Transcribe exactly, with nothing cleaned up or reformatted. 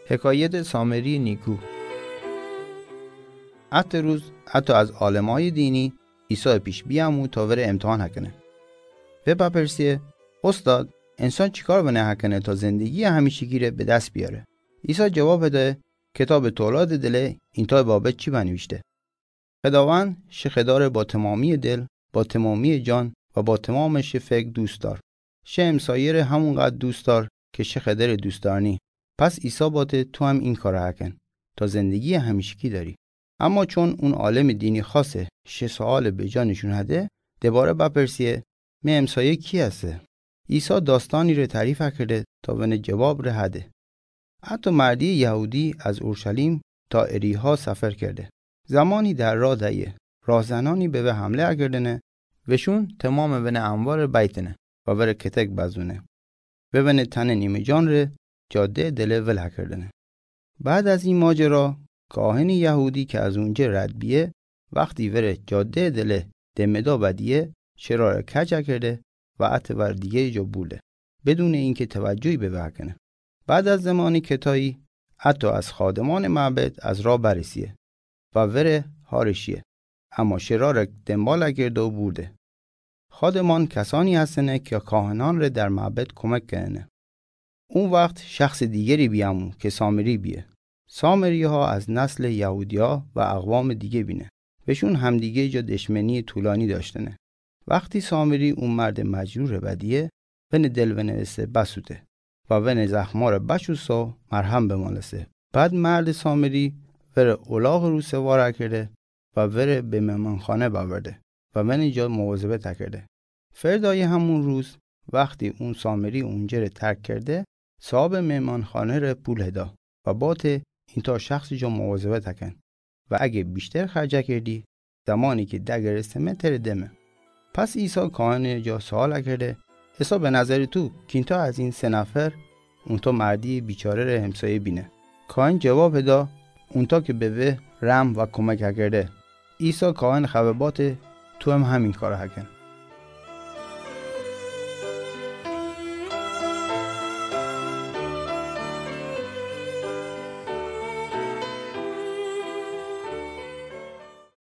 Hekayet Sameri niku. Ate ruz ato az alemaye dini Isa pish biamu ta vere emtihan hakene. Ve papersiye: Ustad, insan chikar vene hakene ta zendegi hamishikire be dast biyare? Isa cevab hede: Kitab Tolad dile inta babet chiba nivishte: Xedavand shi Xedare ba tamamiye dil, ba tamamiye can va ba tamam shi fek dust dar. Shi emsayere hamun qad dust dar ke shi Xedare dust darni. Pas Isa bate: Tu ham in kare haken, ta zendegi hamishiki dari. Ama chon un aleme dini khase shi suale be canishun hade, debare papersiye: Mi emsaye ki hase? Isa dastanire tarif hakerde ta vene cevab re hade. Ato mardi Yahudi az Urushalim ta Eriha safer kerde. Zamani dar ra daye, rahzenani beve hamle hakerdene, veshun tamam vene anvare baitene va vere ketek bazune. Ve vene tane nime canre cade dile vil hakerdene. Bad az in majera, kaheni Yahudi ke az unce rad biye, vaqti vere cade dile demeda badiye, shirare kaj hakerde va ate var dige ca burde, bedune inke tevajui beve hakene. Bad az zemani ketayı, ato az khademane mabed az ra baresiye va vere hareshiye, ama shirare dembal hakerda burde. Khademan kasani hastene ke kahananre dar mabed komek kenene. Un vaqt shaxse digeri biamu ke Sameri biye. Sameriha az nasle Yahudiha va aqvame dige bine. Veshun hamdige ca deshmeni tulani dashtene. Vaqti Sameri un marde majrure badiye, vene dil vene vese basute va vene zaxmare bashusa marham bemalese. Bad marde Sameri vere olaqe ruse var hakerde va vere be mehmankhane baverde va vene ca muwazebet hakerde. Ferdaye hamun ruz, vaqti un Sameri uncere tark kerde, sabe mehmankhanere pul heda va bate: Inta shaxse ca muwazebet haken va age bishter kharj hakerdi, zamani ke dage reseme tere deme. Pas Isa kahene ca sual hakerde: Esa be nazeri tu ki inta az in se nafer unta mardi bicharere hemsaye bine? Kahen cevab heda: Unta ke beve rahm va komek hakerde. Isa kahen khave bate: Tu hem hamin kare haken.